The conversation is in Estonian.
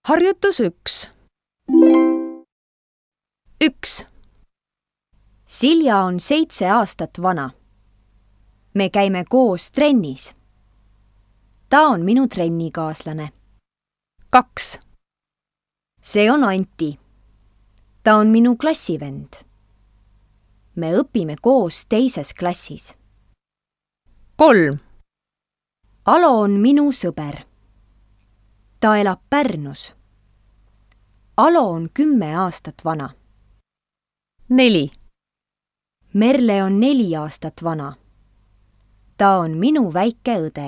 Harjutus 1. 1. Silja on 7 aastat vana. Me käime koos trennis. Ta on minu trennikaaslane. 2. See on Anti. Ta on minu klassivend. Me õpime koos 2. klassis. 3. Alo on minu sõber. Ta elab Pärnus. Alo on 10 aastat vana. 4. Merle on 4 aastat vana. Ta on minu väike õde.